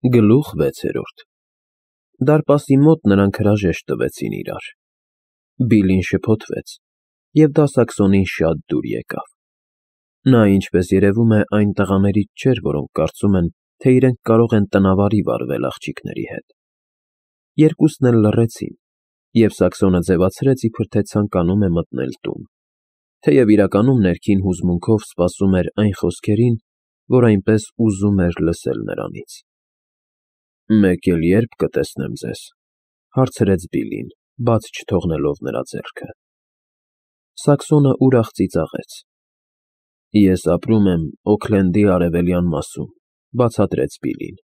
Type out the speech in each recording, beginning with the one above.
Գլուխ 6-րդ Դարպասի մոտ նրանք հրաժեշտ տվեցին իրար։ Բիլլին շփոթվեց, և դա Սաքսոնին շատ դուր եկավ։ Նա, ինչպես երևում է, այն տղաներից չէր, որոնք կարծում են, թե իրենք կարող են տնավարի վարվել աղջիկների հետ։ Երկուսն էլ լռեցին, և Սաքսոնը ձևացրեց, իբր թե ցանկանում է մտնել տուն, թեև իրականում ներքին հուզմունքով սպասում էր այն խոսքերին, որ այնպես ուզում էր լսել նրանից։ «Մեկ էլ ե՞րբ կտեսնեմ ձեզ», հարցրեց Բիլլին, բաց չթողնելով նրա ձեռքը։ Սաքսոնը ուրախ ծիծաղեց։ «Ես ապրում եմ Օքլենդի արևելյան մասում», բացատրեց Բիլլին,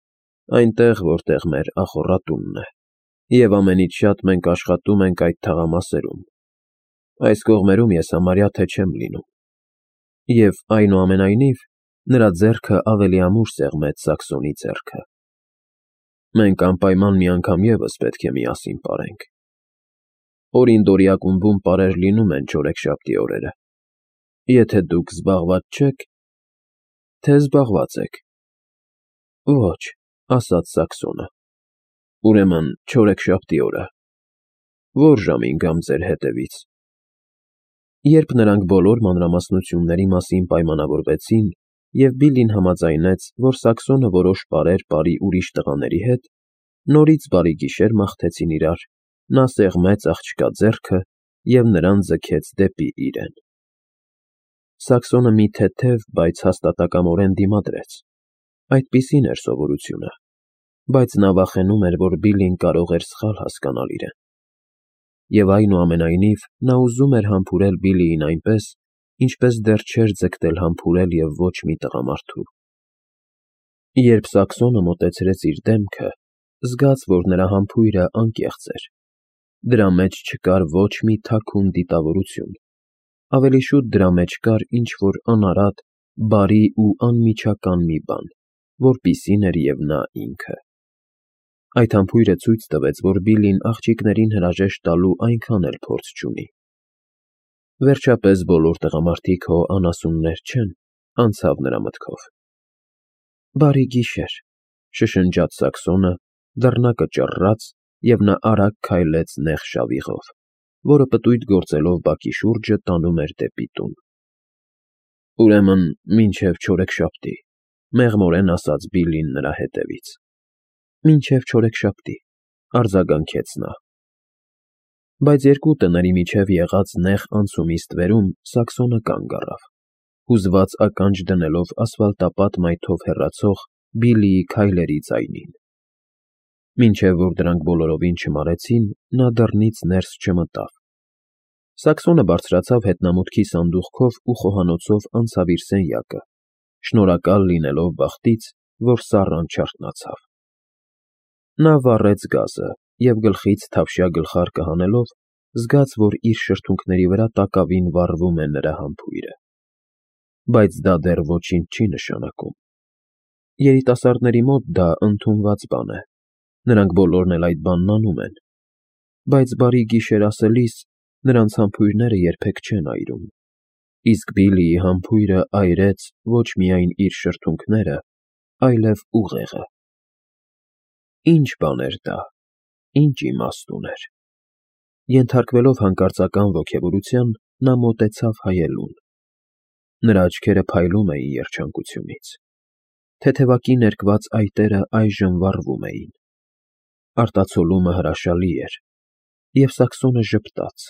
այնտեղ, որտեղ մեր ախոռատունն է, և ամենից շատ մենք աշխատում ենք այդ թաղամասերում։ Այս կողմերում ես համարյա թե չեմ լինում։ Եվ, այնուամենայնիվ, նրա ձեռքը ավելի ամուր սեղմեց Սաքսոնի ձեռքը։ Մենք անպայման մի անգամ ևս պետք է միասին պարենք։ Օրինდորի ակումբում պարեր լինում են չորեքշաբթի օրերը։ Եթե դուք զբաղված չեք, թե զբաղված եք։ Ոչ, ասաց Սաքսոնը։ Ուրեմն չորեքշաբթի օրը։ Ո՞ր ժամին գամ ձեր հետևից։ Երբ նրանք բոլոր մանրամասնությունների մասին պայմանավորվեցին, և Բիլլին համաձայնեց, որ Սաքսոնը որոշ պարեր պարի ուրիշ տղաների հետ, նորից բարի գիշեր մաղթեցին իրար, նա սեղմեց աղջկա ձեռքը և նրան ձգեց դեպի իրեն։ Սաքսոնը մի թեթև, բայց հաստատակամորեն դիմադրեց։ Այդպիսին էր սովորությունը, բայց նա վախենում էր, որ Բիլլին կարող էր սխալ հասկանալ իրեն։ Եվ այնուամենայնիվ նա ուզում էր համբուրել Բիլլիին այնպես, ինչպես դեռ չէր ձգտել համբուրել և ոչ մի տղամարդու։ Երբ Սաքսոնը մոտեցրեց իր դեմքը, զգաց, որ նրա համբույրը անկեղծ էր։ Դրա մեջ չկար ոչ մի թաքուն դիտավորություն, ավելի շուտ դրա մեջ կար ինչ-որ անարատ, բարի ու անմիջական մի բան, որպիսին էր և նա ինքը։ Այդ համբույրը ցույց տվեց, որ Բիլլին աղջիկներին հրաժեշտ տալու այնքան էլ փորձ չունի։ Վերջապես բոլոր տղամարդիկ հո անասուններ չեն, անցավ նրա մտքով։ Բարի գիշեր, շշնջաց Սաքսոնը, դռնակը ճռռաց, և նա արագ քայլեց նեղ շավիղով, որը պտույտ գործելով բակի շուրջը տանում էր դեպի տուն։ Ուրեմն մինչև չորեքշաբթի, մեղմորեն ասաց Բիլլին նրա հետևից։ Մինչև չորեքշաբթի, արձագանքեց նա։ Բայց երկու տների միջև եղած նեղ անցումի ստվերում Սաքսոնը կանգ առավ, հուզված ականջ դնելով ասֆալտապատ մայթով հեռացող Բիլլիի քայլերի ձայնին։ Մինչև որ դրանք բոլորովին չմարեցին, նա դռնից ներս չմտավ։ Սաքսոնը բարձրացավ հետնամուտքի սանդուղքով ու խոհանոցով անցավ իր սենյակը, շնորհակալ լինելով բախտից, որ սառն չարթնացավ։ Նա վառեց գազը և գլխից թավշյա գլխարկը հանելով, զգաց, որ իր շրթունքների վրա տակավին վառվում է նրա համբույրը։ Բայց դա դեռ ոչինչ չի նշանակում։ Երիտասարդների մոտ դա ընդունված բան է, նրանք բոլորն էլ այդ բանն անում են։ Բայց բարի գիշեր ասելիս նրանց համբույրները երբեք չեն այրում, իսկ Բիլլիի համբույրը այրեց ոչ միայն իր շրթունքները, այլև ուղեղը։ Ինչ բան էր դա, ինչ իմաստ ուներ։ Ենթարկվելով հանկարծական ոգևորության, նա մոտեցավ հայելուն։ Նրա աչքերը փայլում էին երջանկությունից։ Թեթևակի ներկված այտերը այժմ վառվում էին։ Արտացոլումը հրաշալի էր, և Սաքսոնը ժպտաց,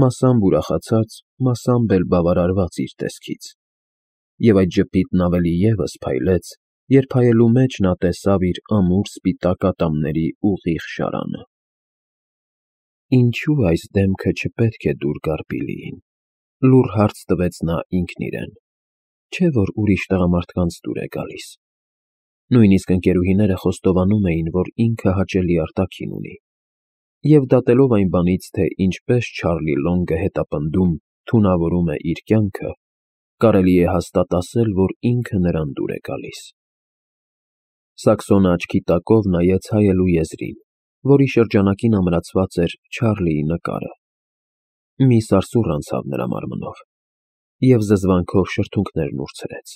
մասամբ ուրախացած, մասամբ էլ բավարարված իր տեսքից։ Եվ այդ ժպիտն ավելի ևս փայլեց, երբ հայելու մեջ նա տեսավ իր ամուր սպիտակ ատամների ուղիղ շարանը։ Ինչո՞ւ այս դեմքը չպետք է դուր գար Բիլլիին, լուռ հարց տվեց նա ինքն իրեն։ Չէ՞ որ ուրիշ տղամարդկանց դուր է գալիս։ Նույնիսկ ընկերուհիները խոստովանում էին, որ ինքը հաճելի արտաքին ունի։ Եվ դատելով այն բանից, թե ինչպես Չարլի Լոնգը հետապնդում, թունավորում է իր կյանքը, կարելի է հաստատ ասել, որ ինքը նրան դուր է գալիս։ Սաքսոնը աչքի տակով նայեց հայելու եզրին, որի շրջանակին ամրացված էր Չարլիի նկարը։ Մի սարսուռ անցավ նրա մարմնով, և զզվանքով շրթունքներն ուրցրեց։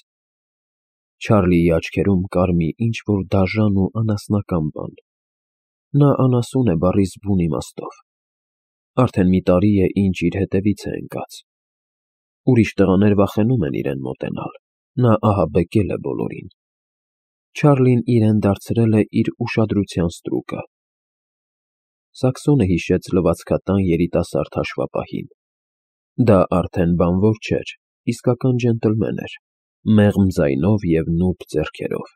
Չարլիի աչքերում կար մի ինչ-որ դաժան ու անասնական բան։ Նա անասուն է բառի զգույն իմաստով։ Արդեն մի տարի է, ինչ իր հետևից է ընկած։ Ուրիշ տղաներ վախենում են իրեն մոտենալ, նա ահաբեկել է բոլորին։ Չարլին իրեն դարձրել է իր ուշադրության ստրուկը։ Սաքսոնը հիշեց լվացքատան երիտասարդ հաշվապահին։ Դա արդեն բանվոր չէր, իսկական ջենտլմեն էր, մեղմ ձայնով և նուրբ ձեռքերով։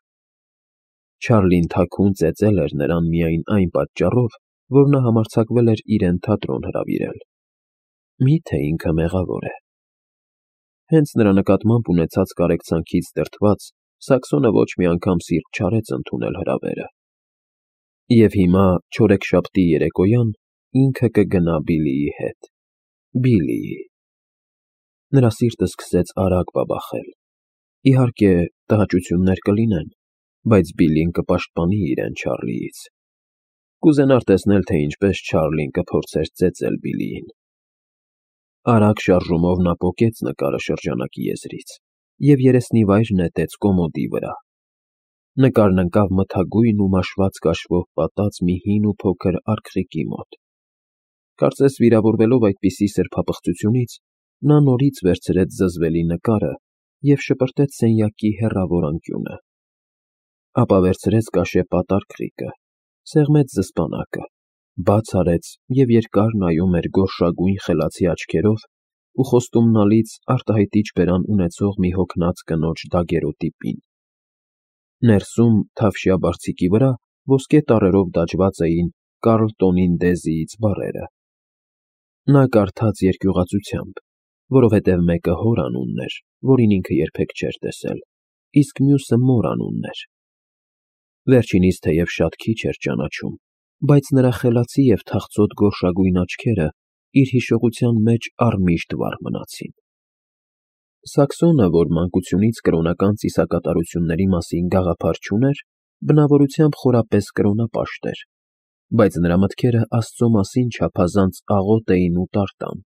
Չարլին թաքուն ծեծել էր նրան միայն այն պատճառով, որ նա համարձակվել էր իրեն թատրոն հրավիրել։ Մի՞թե ինքը մեղավոր է։ Հենց նրա նկատմամբ ունեցած կարեկցանքից դրդված, Սաքսոնը ոչ մի անգամ սիրտ չարեց ընդունել հրավերը։ Եվ հիմա, չորեքշաբթի երեկոյան, ինքը կգնա Բիլիի հետ։ Բիլիի։ Նրա սիրտը սկսեց արագ բաբախել։ Իհարկե, տհաճություններ կլինեն, բայց Բիլին կպաշտպանի իրեն Չարլիից։ Կուզենար տեսնել, թե ինչպես Չարլին կփորձեր ծեծել Բիլիին։ Արագ շարժումով նա պոկեց նկարը շրջանակի եզրից և երեսնիվայր նետեց կոմոդի վրա։ Նկարն ընկավ մթագույն ու մաշված կաշվով պատած մի հին ու փոքր արգղիկի մոտ։ Կարծես վիրավորվելով այդպիսի սրբապղծությունից, նա նորից վերցրեց զզվելի նկարը և շպրտեց սենյակի հեռավոր անկյունը։ Ապա վերցրեց կաշեպատ արգղիկը, սեղմեց զսպանակը, բաց արեց և երկար նայում էր գորշագույն խելացի աչքերով ու խոստումնալից արտահայտիչ բերան ունեցող մի հոգնած կնոջ դագերոտի պին։ Ներսում, թավշյա բարձիկի վրա, ոսկե տառերով դաջված էին Կարլտոնին Դեզիից բառերը։ Նա կարդաց երկյուղածությամբ, որովհետև մեկը հոր անունն էր, որին ինքը երբեք չէր տեսել, իսկ մյուսը մոր անունն էր։ Վերջինիս թեև շատ քիչ էր ճանաչում, բայց նրա խելացի և թախծոտ գորշագույն աչքերը իր հիշողության մեջ առմիշտ վառ մնացին։ Սաքսոնը, որ մանկությունից կրոնական ծիսակատարությունների մասին գաղափար չուներ, բնավորությամբ խորապես կրոնապաշտ էր, բայց նրա մտքերը Աստծո մասին չափազանց աղոտ էին ու տարտան,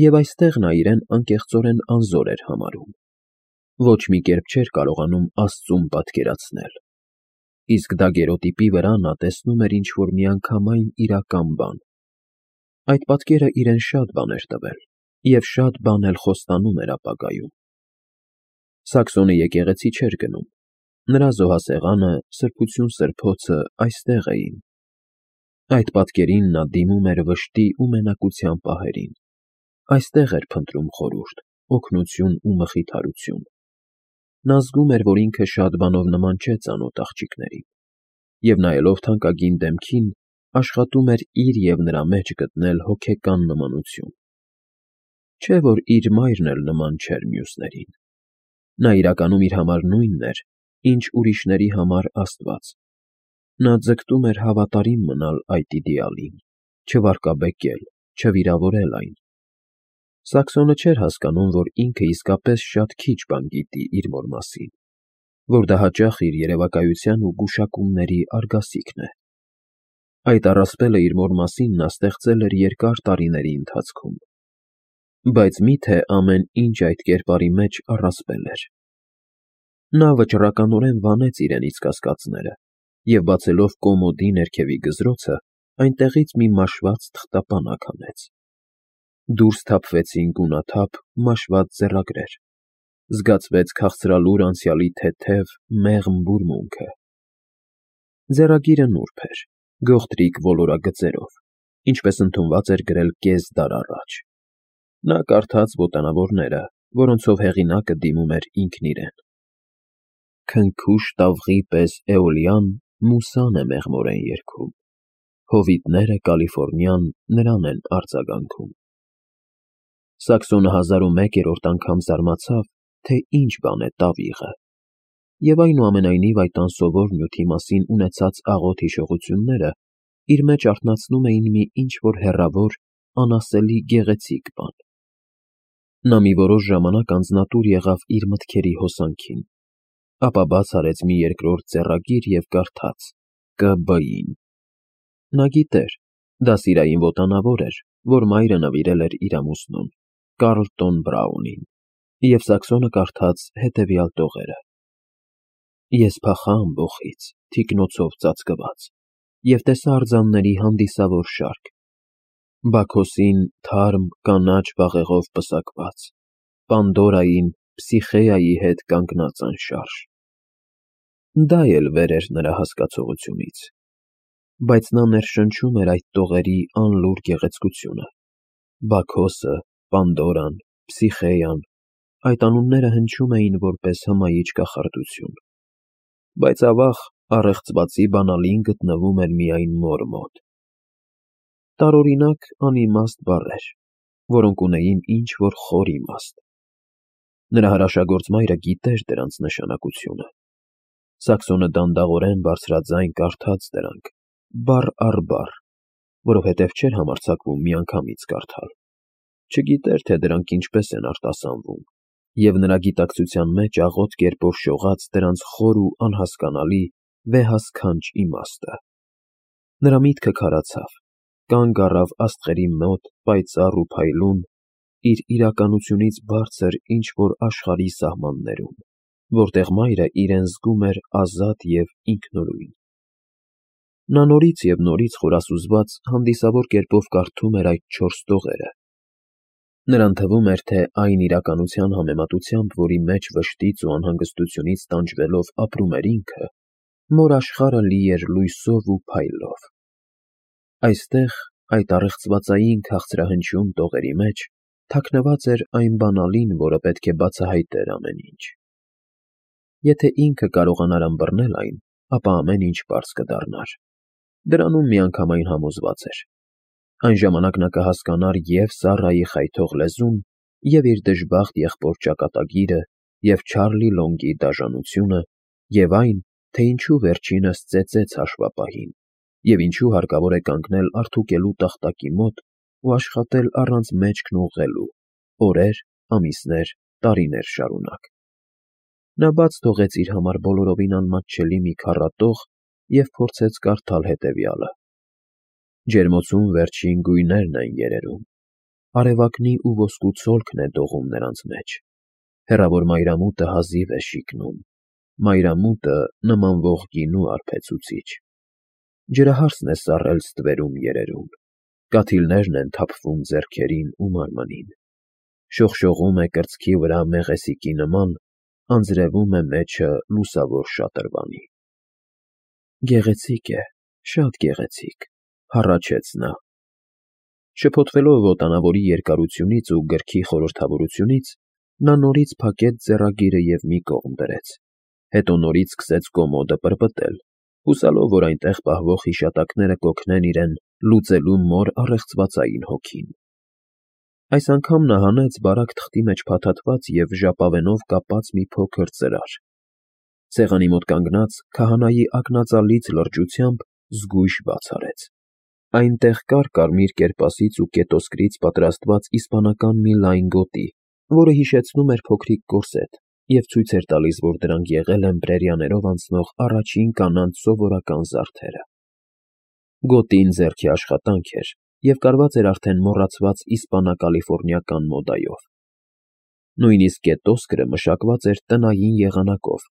և այստեղ նա իրեն անկեղծորեն անզոր էր համարում։ Ոչ մի կերպ չէր կարողանում Աստծուն պատկերացնել։ Իսկ դագերոտիպի վրա նա տեսնում էր ինչ-որ միանգամայն իրական բան։ Այդ պատկերը իրեն շատ բան էր տվել և շատ բան էլ խոստանում էր ապագայում։ Սաքսոնը եկեղեցի չէր գնում։ Նրա զոհասեղանը, սրբություն-սրբոցը այստեղ էին։ Այդ պատկերին նա դիմում էր վշտի ու մենակության պահերին։ Այստեղ էր փնտրում խորհուրդ, օգնություն ու մխիթարություն։ Նա զգում էր, որ ինքը շատ բանով նման չէ ծանոթ աղջիկներին, և նայելով թանկագին դեմքին, աշխատում էր իր և նրա մեջ գտնել հոգեկան նմանություն։ Չէ՞ որ իր մայրն էլ նման չէր մյուսներին։ Նա իրականում իր համար նույնն էր, ինչ ուրիշների համար Աստված։ Նա ձգտում էր հավատարիմ մնալ այդ իդեալին, չվարկաբեկել, չվիրավորել այն։ Սաքսոնը չէր հասկանում, որ ինքը իսկապես շատ քիչ բան գիտի իր մոր մասին, որ դա հաճախ իր երևակայության ու գուշակումների արգասիքն է։ Այդ առասպելը իր մոր մասին նա ստեղծել էր երկար տարիների ընթացքում։ Բայց մի՞թե ամեն ինչ այդ կերպարի մեջ առասպել էր։ Նա վճռականորեն վանեց իրենից կասկածները և, բացելով կոմոդի ներքևի գզրոցը, այնտեղից մի մաշված թղթապանակ հանեց։ Դուրս թափվեցին գունաթափ, մաշված ձեռագրեր։ Զգացվեց քաղցրալուր անցյալի թեթև, մեղմ բուրմունքը։ Ձեռագիրը նուրբ էր, գողտրիկ ոլորագծերով, ինչպես ընդունված էր գրել կես դար առաջ։ Նա կարդաց ոտանավորները, որոնցով հեղինակը դիմում էր ինքն իրեն։ Քնքուշ տավղի պես Էոլիան մուսան է մեղմորեն երգում, հովիտները Կալիֆոռնիան նրան են արձագանքում։ Սաքսոնը 1001-րդ անգամ զարմացավ, թե ինչ բան է տավիղը, և այնուամենայնիվ այդ անսովոր նյութի մասին ունեցած աղոտ հիշողությունները իր մեջ արթնացնում էին մի ինչ-որ հեռավոր, անասելի գեղեցիկ բան։ Նա մի որոշ ժամանակ անձնատուր եղավ իր մտքերի հոսանքին, ապա բաց արեց մի երկրորդ ձեռագիր և կարդաց Կ.Բ.-ին։ Նա գիտեր, դաստիարային ոտանավոր էր, որ մայրը նվիրել էր իր ամուսնուն, Կարլտոն Բրաունին, և Սաքսոնը կարդաց հետևյալ տողերը. Ես փախա ամբոխից, թիկնոցով ծածկված, և տեսա արձանների հանդիսավոր շարք, Բաքոսին թարմ կանաչ բաղեղով պսակված, Պանդորային, Փսիխեայի հետ կանգնած անշարժ։ Դա էլ վեր էր նրա հասկացողությունից, բայց նա ներշնչում էր այդ տողերի անլուռ գեղեցկությունը։ Բաքոսը, Պանդորան, Փսիխեան, այդ անունները հնչում էին որպես հմայիչ կախարդություն, բայց ավաղ առեղծվածի բանալին գտնվում էր միայն մոր մոտ։ Տարօրինակ անիմաստ բառեր, որոնք ունեին ինչ-որ խոր իմաստ։ Նրա հրաշագործ մայրը գիտեր դրանց նշանակությունը։ Սաքսոնը դանդաղորեն բարձրաձայն կարդաց դրանք, բառ առ բառ, որովհետև չէր համարձակվում միանգամից կարդալ։ Չգիտեր, թե դրանք ինչպես են արտասանվում, և նրա գիտակցության մեջ աղոտ կերպով շողաց դրանց խոր ու անհասկանալի վեհասքանչ իմաստը։ Նրա միտքը քարացավ, կանգ առավ աստղերի մոտ պայծառ ու փայլուն, իր իրականությունից բարձր ինչ-որ աշխարհի սահմաններում, որտեղ մայրը իրեն զգում էր ազատ և ինքնուրույն։ Նա նորից և նորից խորասուզված հանդիսավոր կերպով կարդում էր այդ 4 տողերը։ Նրան թվում էր, թե այն իրականության համեմատությամբ, որի մեջ վշտից ու անհանգստությունից տանջվելով ապրում էր ինքը, մոր աշխարհը լի էր լույսով ու փայլով։ Այստեղ, այդ առեղծվածային քաղցրահնչյուն տողերի մեջ, թաքնված էր այն բանալին, որը պետք է բացահայտեր ամեն ինչ։ Եթե ինքը կարողանար ըմբռնել այն, ապա ամեն ինչ պարզ կդառնար։ Դրանում միանգամայն համոզված էր։ Այն ժամանակ նա կհասկանար և Սառայի խայթող լեզուն, և իր դժբախտ եղբոր ճակատագիրը, և Չարլի Լոնգի դաժանությունը, և այն, թե ինչու վերջինս ծեծեց հաշվապահին, և ինչու հարկավոր է կանգնել արդուկելու տախտակի մոտ ու աշխատել առանց մեջքն ուղղելու, օրեր, ամիսներ, տարիներ շարունակ։ Նա բաց թողեց իր համար բոլորովին անմատչելի մի քառատող և փորձեց կարդալ հետևյալը. Ջերմոցում վերջին գույներն են երերում, արևակնի ու ոսկու ցոլքն է դողում նրանց մեջ, հեռավոր մայրամուտը հազիվ է շիկնում, մայրամուտը նմանվող գինու արբեցուցիչ, ջրահարսն է սառել ստվերում երերում, կաթիլներն են թափվում ձեռքերին ու մարմնին, շողշողում է կրծքի վրա մեղեսիկի նման, անձրևում է մեջը լուսավոր շատրվանի։ Գեղեցիկ է, շատ գեղեցիկ, հառաչեց նա։ Շփոթվելով ոտանավորի երկարությունից ու գրքի խորհրդավորությունից, նա նորից փակեց ձեռագիրը և մի կողմ դրեց, հետո նորից սկսեց կոմոդը պրպտել, հուսալով, որ այնտեղ պահվող հիշատակները կօգնեն իրեն լուծելու մոր առեղծվածային հոգին։ Այս անգամ նա հանեց բարակ թղթի մեջ փաթաթված և ժապավենով կապած մի փոքր ծրար։ Սեղանի մոտ կանգնած, քահանայի ակնածալից լրջությամբ զգույշ բաց արեց։ Այնտեղ կար կարմիր կերպասից ու կետոսկրից պատրաստված իսպանական մի լայն գոտի, որը հիշեցնում էր փոքրիկ կորսետ և ցույց էր տալիս, որ դրանք եղել են պրերիաներով անցնող առաջին կանանց սովորական զարդերը։ Գոտին ձեռքի աշխատանք էր և կարված էր արդեն մոռացված իսպանա-կալիֆոռնիական մոդայով։ Նույնիսկ կետոսկրը մշակված էր տնային եղանակով,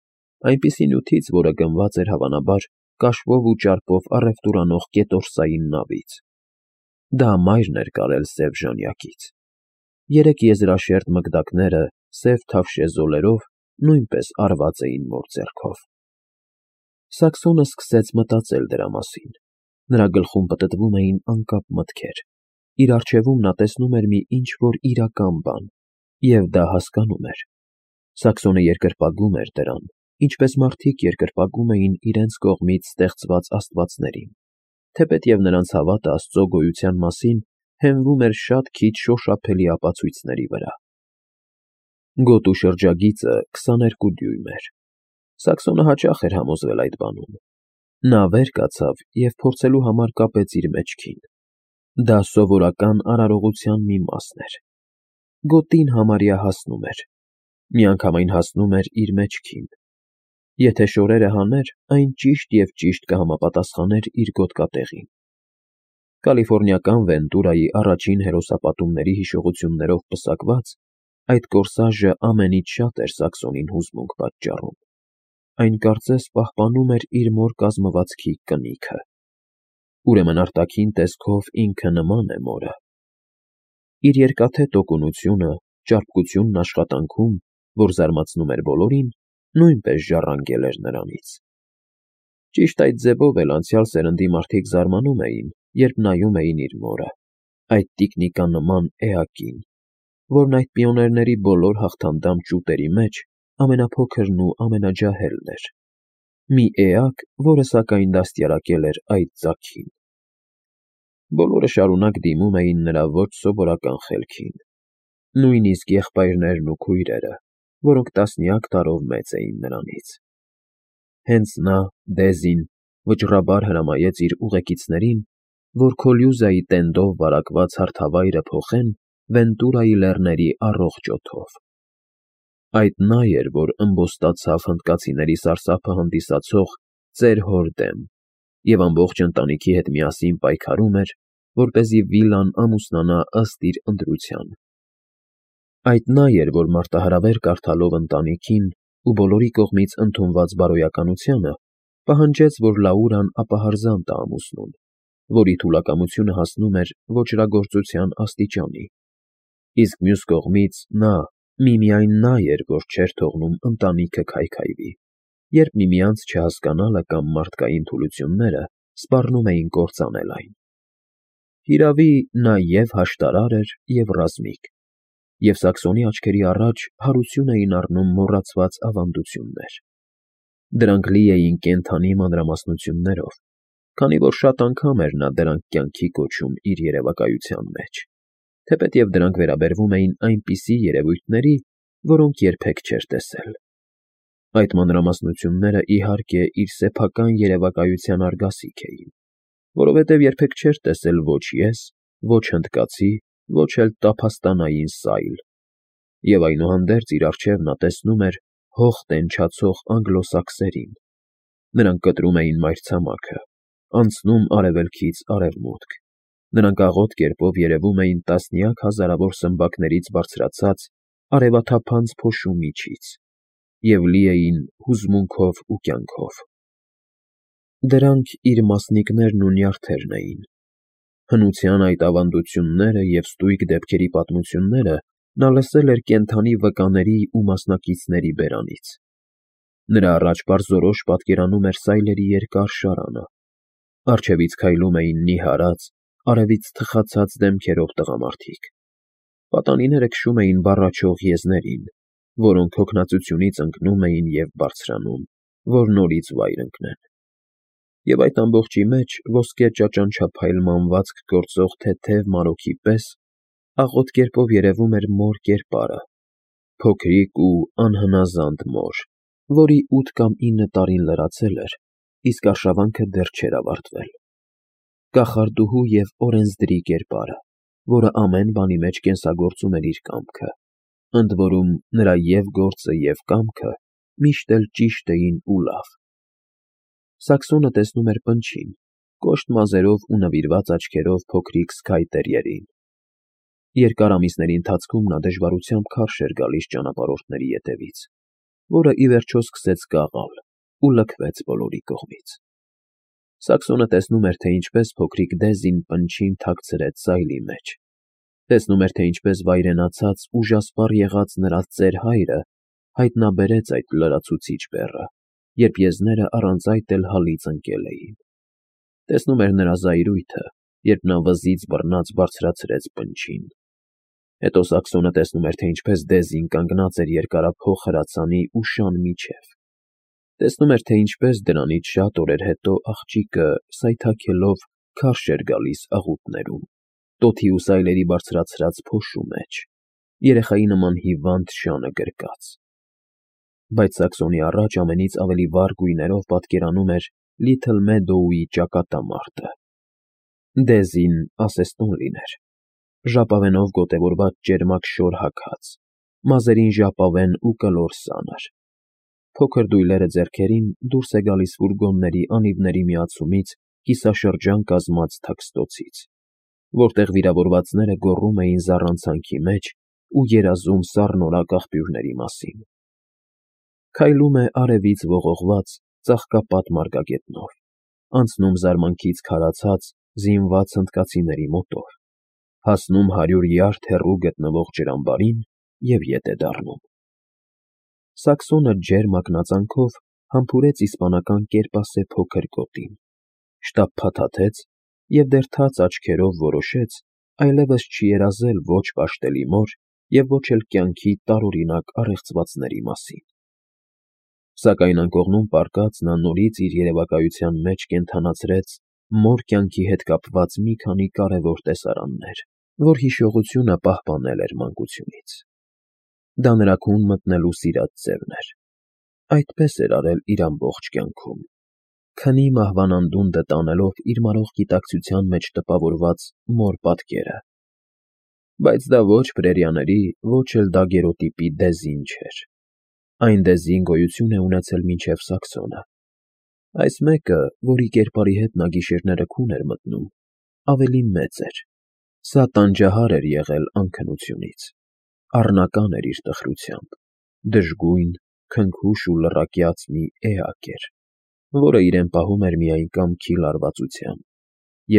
այնպիսի նյութից, որը գնված էր հավանաբար կաշվով ու ճարպով առևտուրանող կետորսային նավից։ Դա մայրն էր կարել սև ժանյակից։ 3 եզրաշերտ մկդակները սև թավշե զոլերով նույնպես արված էին մոր ձեռքով։ Սաքսոնը սկսեց մտածել դրա մասին։ Նրա գլխում պտտվում էին անկապ մտքեր։ Իր առջևում նա տեսնում էր մի ինչ-որ իրական բան, և դա հասկանում էր։ Սաքսոնը երկրպագում էր դրան, ինչպես մարդիկ երկրպագում էին իրենց կողմից ստեղծված աստվածներին, թեպետև նրանց հավատը Աստծո գոյության մասին հենվում էր շատ քիչ շոշափելի ապացույցների վրա։ Գոտու շրջագիծը 22 դյույմ էր։ Սաքսոնը հաճախ էր համոզվել այդ բանում։ Նա վեր կացավ և փորձելու համար կապեց իր մեջքին։ Դա սովորական արարողության մի մասն էր։ Գոտին համարյա հասնում էր։ Միանգամայն հասնում էր իր մեջքին։ Եթե շորերը հաներ, այն ճիշտ և ճիշտ կհամապատասխաներ իր գոտկատեղին։ Կալիֆոռնիական Վենտուրայի առաջին հերոսապատումների հիշողություններով պսակված, այդ կորսաժը ամենից շատ էր Սաքսոնին հուզմունք պատճառում։ այն կարծես պահպանում էր իր մոր կազմվածքի կնիքը։ Ուրեմն արտաքին տեսքով ինքը նման է մորը։ Իր երկաթե տոկունությունը, ճարպկությունն աշխատանքում, որ զարմացնում էր բոլորին, նույնպես ժառանգել էր նրանից։ Ճիշտ այդ ձևով էլ անցյալ սերնդի մարդիկ զարմանում էին, երբ նայում էին իր մորը, այդ տիկնիկանման էակին, որն այդ պիոներների բոլոր հաղթանդամ ճուտերի մեջ ամենափոքրն ու ամենաջահելն էր, մի էակ, որը սակայն դաստիարակել էր այդ ծագին։ Բոլորը շարունակ դիմում էին նրա ոչ սովորական խելքին, նույնիսկ եղբայրներն ու քույրերը, որոնք տասնյակ տարով մեծ էին նրանից։ Հենց նա, Դեզին, վճռաբար հրամայեց իր ուղեկիցներին, որ Քոլյուզայի տենդով վարակված հարթավայրը փոխեն Վենտուրայի լեռների առողջ օդով։ Այդ նա էր, որ ըմբոստացավ հնդկացիների սարսափը հանդիսացող ծեր հոր դեմ և ամբողջ ընտանիքի հետ միասին պայքարում էր, որպեսզի վիլան ամուսնանա ըստ իր ընտրության։ Այդ նա էր, որ մարտահրավեր կարդալով ընտանիքին ու բոլորի կողմից ընդունված բարոյականությանը, պահանջեց, որ Լաուրան ապահարզան տա ամուսնուն, որի թուլակամությունը հասնում էր ոճրագործության աստիճանի։ Իսկ մյուս կողմից նա, միմիայն նա էր, որ չէր թողնում ընտանիքը քայքայվի, երբ միմյանց չհասկանալը կամ մարդկային թուլությունները սպառնում էին կործանել այն։ Հիրավի, նա և հաշտարար էր, և ռազմիկ, և Սաքսոնի աչքերի առաջ հարություն էին առնում մոռացված ավանդություններ։ Դրանք լի էին կենդանի մանրամասնություններով, քանի որ շատ անգամ էր նա դրանք կյանքի կոչում իր երևակայության մեջ, թեպետև դրանք վերաբերվում էին այնպիսի երևույթների, որոնք երբեք չէր տեսել։ Այդ մանրամասնությունները, իհարկե, իր սեփական երևակայության արգասիք էին, որովհետև երբեք չէր տեսել ոչ ես, ոչ հնդկացի, ոչ էլ տափաստանային սայլ, և այնուհանդերձ իր առջև նա տեսնում էր հող տենչացող անգլոսաքսերին։ Նրանք կտրում էին մայրցամաքը, անցնում արևելքից արևմուտք, նրանք աղոտ կերպով երևում էին տասնյակ հազարավոր սմբակներից բարձրացած արևաթափանց փոշու միջից և լի էին հուզմունքով ու կյանքով։ Դրանք իր մասնիկներն ու նյարդերն էին։ Հնության այդ ավանդությունները և ստույգ դեպքերի պատմությունները նա լսել էր կենդանի վկաների ու մասնակիցների բերանից։ Նրա առաջ պարզորոշ պատկերանում էր սայլերի երկար շարանը, առջևից քայլում էին նիհարած, արևից թխացած դեմքերով տղամարդիկ։ Պատանիները քշում էին բառաչող եզներին, որոնք հոգնածությունից ընկնում էին և բարձրանում, որ նորից վայր ընկնեն։ Եվ այդ ամբողջի մեջ ոսկե ճաճանչափայլ մանվածք գործող թեթև մանուկի պես աղոտ կերպով երևում էր մոր կերպարը, փոքրիկ ու անհնազանդ մոր, որի 8 կամ 9 տարին լրացել էր, իսկ արշավանքը դեռ չէր ավարտվել, կախարդուհու և օրենսդրի կերպարը, որը ամեն բանի մեջ կենսագործում էր իր կամքը, ընդ որում նրա և գործը, և կամքը միշտ էլ ճիշտ էին ու լավ։ Սաքսոնը տեսնում էր պնչին, կոշտ մազերով ու նվիրված աչքերով փոքրիկ Սքայ տերիերին։ Երկար ամիսների ընթացքում նա դժվարությամբ քարշ էր գալիս ճանապարհորդների ետևից, որը ի վերջո սկսեց կաղալ ու լքվեց բոլորի կողմից։ Սաքսոնը տեսնում էր, թե ինչպես փոքրիկ Դեզին պնչին թաքցրեց սայլի մեջ, տեսնում էր, թե ինչպես վայրենացած, ուժասպառ եղած նրա ծեր հայրը հայտնաբերեց այդ լրացուցիչ բեռը, երբ եզները առանց այդ էլ հալից ընկել էին։ Տեսնում էր նրա զայրույթը, երբ նա վզից բռնած բարձրացրեց պնչին։ Հետո Սաքսոնը տեսնում էր, թե ինչպես Դեզին կանգնած էր երկարափոխ հրացանի ու շան միջև։ Տեսնում էր, թե ինչպես դրանից շատ օրեր հետո աղջիկը, սայթաքելով, քարշ էր գալիս աղուտներում, տոթի ու սայլերի բարձրացրած փոշու մեջ, երեխայի նման հիվանդ շանը գրկած։ Բայց Սաքսոնի առաջ ամենից ավելի վառ գույներով պատկերանում էր Լիթլ Մեդոուի ճակատամարտը։ Դեզին ասեստուն լիներ, ժապավենով գոտևորված ճերմակ շոր հագած, մազերին ժապավեն ու կլոր սանր։ Փոքր դույլերը ձեռքերին դուրս է գալիս ֆուրգոնների անիվների միացումից կիսաշրջան կազմած թաքստոցից, որտեղ վիրավորվածները գոռում էին զառանցանքի մեջ ու երազում սառնորակ աղբյուրների մասին։ Քայլում է արևից ողողված ծաղկապատ մարգագետնով, անցնում զարմանքից քարացած զինված հնդկացիների մոտով, հասնում 100 յարդ հեռու գտնվող ջրամբարին և ետ է դառնում։ Սաքսոնը ջերմ ակնածանքով համբուրեց իսպանական կերպասե փոքր գոտին, շտապ փաթաթեց և դեռ թաց աչքերով որոշեց այլևս չի երազել ոչ պաշտելի մոր և ոչ էլ կյանքի տարօրինակ առեղծվածների մասին։ Սակայն անկողնում պառկած նա նորից իր երևակայության մեջ կենդանացրեց մոր կյանքի հետ կապված մի քանի կարևոր տեսարաններ, որ հիշողությունը պահպանել էր մանկությունից։ Դա նրա քուն մտնելու սիրած ձևն էր։ Այդպես էր արել իր ամբողջ կյանքում, քնի մահվան անդունդը տանելով իր մարող գիտակցության մեջ տպավորված մոր պատկերը։ Բայց դա ոչ պրերիաների, ոչ էլ դագերոտիպի Դեզին չէր։ Այն Դեզին գոյություն է ունեցել մինչև Սաքսոնը։ Այս մեկը, որի կերպարի հետ նա գիշերները քուն էր մտնում, ավելի մեծ էր։ Սա տանջահար էր եղել անքնությունից, առնական էր իր տխրությամբ, դժգույն, քնքուշ ու լռակյաց մի էակ էր, որը իրեն պահում էր միայն կամքի լարվածությամբ,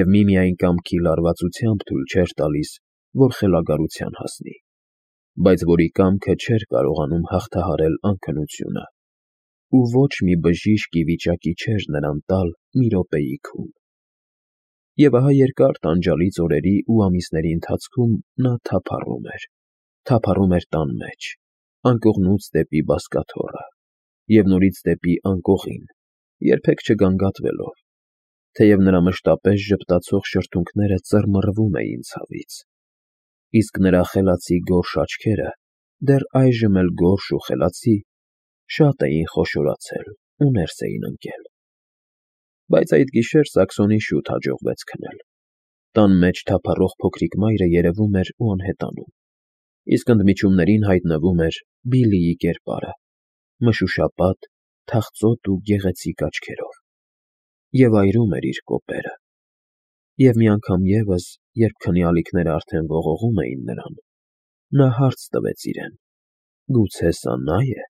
և միմիայն կամքի լարվածությամբ թույլ չէր տալիս, որ խելագարության հասնի, բայց որի կամքը չէր կարողանում հաղթահարել անքնությունը, ու ոչ մի բժիշկ ի վիճակի չէր նրան տալ մի րոպեի քուն։ Եվ ահա երկար տանջալից օրերի ու ամիսների ընթացքում նա թափառում էր տան մեջ, անկողնուց դեպի բազկաթոռը, և նորից դեպի անկողին, երբեք չգանգատվելով, թեև նրա մշտապես ժպտացող շրթունքները ծռմռվում էին ցավից, իսկ նրա խելացի գորշ աչքերը, դեռ այժմ էլ գորշ ու խելացի, շատ էին խոշորացել ու ներս էին ընկել։ Բայց այդ գիշեր Սաքսոնին շուտ հաջողվեց քնել։ Տան մեջ թափառող փոքրիկ մայրը երևում էր ու անհետանում, իսկ ընդմիջումներին հայտնվում էր Բիլլիի կերպարը, մշուշապատ, թախծոտ ու գեղեցիկ աչքերով, և այրում էր իր կոպերը։ Եվ մի անգամ ևս, երբ քնի ալիքները արդեն ողողում էին նրան, նա հարց տվեց իրեն. գուցե սա նա՞ է։